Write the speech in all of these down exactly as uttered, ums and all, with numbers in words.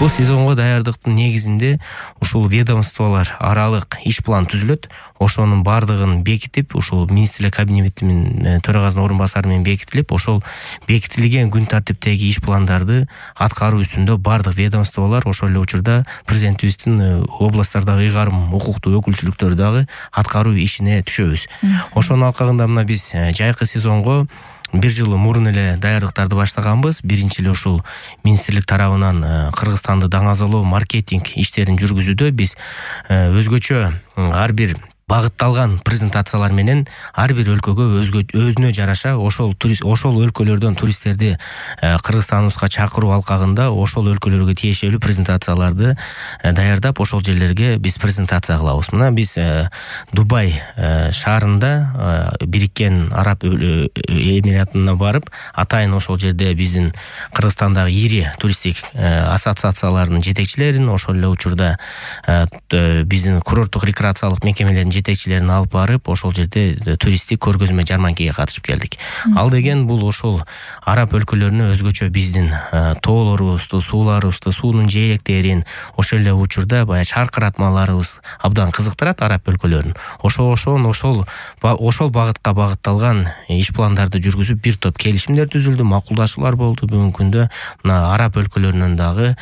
Бул сезонго даярдыктын негизинде ушул ведомстволор аралык иш план түзүлөт. Ошонун бардыгын бекитип, ушул министрлер кабинетинин төрагасынын орун басары менен бекитилип, ошол бекитилген күн тартиптеги иш пландарды аткаруу үстүндө бардык ведомстволор, ошол эле учурда президентибиздин областтардагы ыйгарым укуктуу өкүлчүлүктөрү дагы аткаруу ишине түшөбүз. Ошонун алкагында мына биз жайкы сезонго бир жыл мурун эле даярдыктарды баштаганбыз. Биринчи эле ушул министрлик тарабынан Кыргызстанды даңазалоо маркетинг иштерин жүргүзүүдө биз өзгөчө ар бир багытталган презентациялар менен ар бир өлкөгө өзгө өзүнө жараша ошол турист ошол өлкөлөрдөн туристтерди Кыргызстаныбызга чакыруу алкагында ошол өлкөлөргө тиешелүү презентацияларды даярдап, ошол жерлерге биз презентация кылабыз. Мына биз Дубай шаарында Бириккен Араб Эмиратына барып, атайын ошол жерде биздин Кыргызстандагы ири туристтик ассоциацияларынын жетекчилерин, ошол эле учурда биздин курорттук рекреациялык мекемелердин жетекчилерин алып барып, ошол жерде туристтик көргөзмө жарманкеге катышып келдик. Ал деген бул ошол араб өлкөлөрүнө өзгөчө биздин тоолорубузду, сууларыбызды, суунун жээктерин, ошол эле учурда баягы чаркыратмаларыбыз абдан кызыктырат араб өлкөлөрүн. Ошол ошон ошол ошол багытка багытталган иш пландарды жүргүзүп, бир топ келишимдер түзүлдү, макулдашуулар болду. Бүгүнкү күндө мына араб өлкөлөрүнөн дагы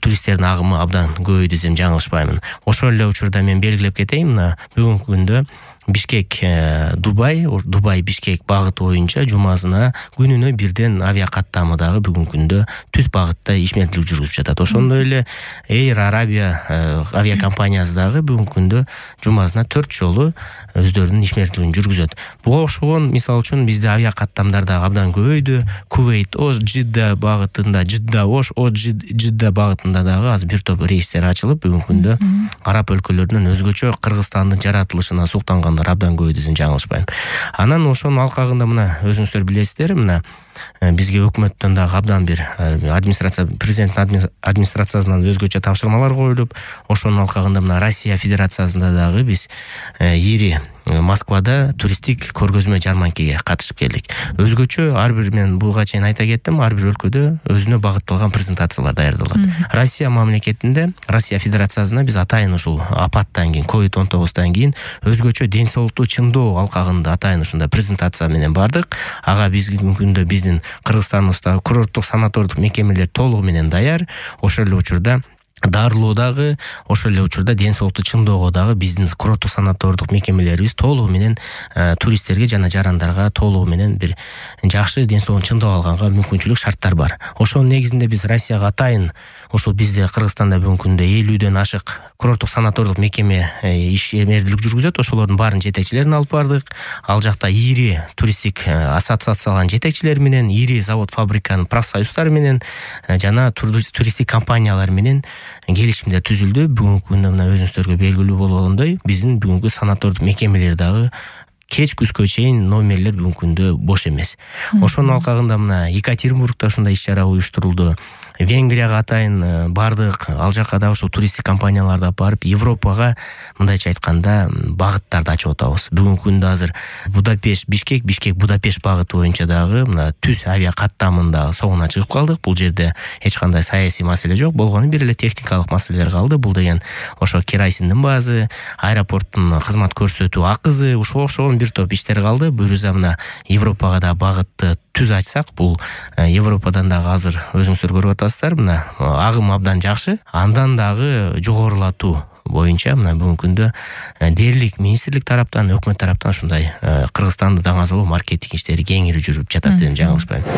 туристтердин агымы абдан көбөйдү десем жаңылышпаймын. Ошол эле учурда мен белгилеп кетейин, мына бүгүнкү күндө Бишкек Дубай, Дубай Бишкек багыты боюнча жумасына күнүнө бирден авиа каттамы дагы бүгүнкү күндө түз багытта ишмердүүлүк жүргүзүп жатат. Ошондой эле Air Arabia авиакомпаниясы дагы бүгүнкү күндө жумасына төрт жолу өздөрүнүн ишмердүүлүгүн жүргүзөт. Буга окшогон мисал үчүн бизде авиа каттамдар дагы абдан көбөйдү. Кувейт Ош Жидда багытында, Жидда Ош Ош Жидда багытында дагы азыр бир топ рейстер ачылып, бүгүнкү күндө араб өлкөлөрүнөн өзгөчө Кыргызстандын жаратылышына суктанган абдан көбөйдү десем жаңылышпайм. Анан ошонун алкагында мына өзүңүздөр билесиздер, мына бизге өкмөттөн дагы абдан бир администрация президенттин администрациясынан өзгөчө тапшырмалар коюлуп, ошонун алкагында мына Россия Федерациясында дагы биз ири Москвада туристтик көргөзмө жарманкеге катышып келдик. Өзгөчө ар бир, мен буга чейин айта кеттим, ар бир өлкөдө өзүнө багытталган презентациялар даярдалат. Россия мамлекетинде, Россия Федерациясына биз атайын ушул апаттан кийин, ковид он тогуздан кийин өзгөчө ден соолукту чыңдоо алкагында атайын ушундай презентация менен бардык. Ага бизги күндө биздин Кыргызстаныбызда курорттук санатордук мекемелер толугу менен даяр. Ошол эле учурда дарылоо дагы, ошол эле учурда ден соолукту чыңдоого дагы биздин курорттук санатордук мекемелерибиз толугу менен туристтерге жана жарандарга толугу менен бир жакшы ден соолугун чыңдап алганга мүмкүнчүлүк, шарттар бар. Ошонун негизинде биз Россияга атайын ушул бизде Кыргызстанда бүгүнкү күндө элүүдөн ашык курорттук санатордук мекеме ишмердүүлүк жүргүзөт. Ошолордун баарын жетекчилерин алып бардык. Ал жакта ири туристтик ассоциациялардын жетекчилери менен, ири завод фабриканын профсоюздары менен жана туристтик компаниялар менен келишимдер түзүлдү. Бүгүнкү күндө мына өзүңүздөргө белгилүү болгондой, биздин бүгүнкү санатордук мекемелер дагы кеч күзгө чейин номерлер бүгүнкү күндө бош эмес. Ошонун алкагында мына Екатеринбургда ушундай иш-чара уюштурулду. Венгрияга атайын бардык. Ал жака да ошол туристтик компанияларды алып барып, Европага мындайча айтканда багыттарды ачып атабыз. Бүгүнкү күндө азыр Будапешт Бишкек, Бишкек Будапешт багыты боюнча дагы мына түз авиа каттамында соңуна чыгып калдык. Бул жерде эч кандай саясий маселе жок. Болгону бир эле техникалык маселелер калды. Бул деген ошо керосиндин баазы, аэропорттун кызмат көрсөтүү акызы, ушул ошол бир топ иштер калды. Буюрса мына Европага да багытты түз ачсак, бул Европадан дагы азыр өзүңүздөр көрүп атасыздар, мына агым абдан жакшы. Андан дагы жогорулатуу боюнча мына бүгүнкү күндө дээрлик министрлик тараптан, өкмөт тараптан ушундай Кыргызстанды даңазалоо маркетинг иштери кеңири жүрүп жатат деп жаңылышпайм.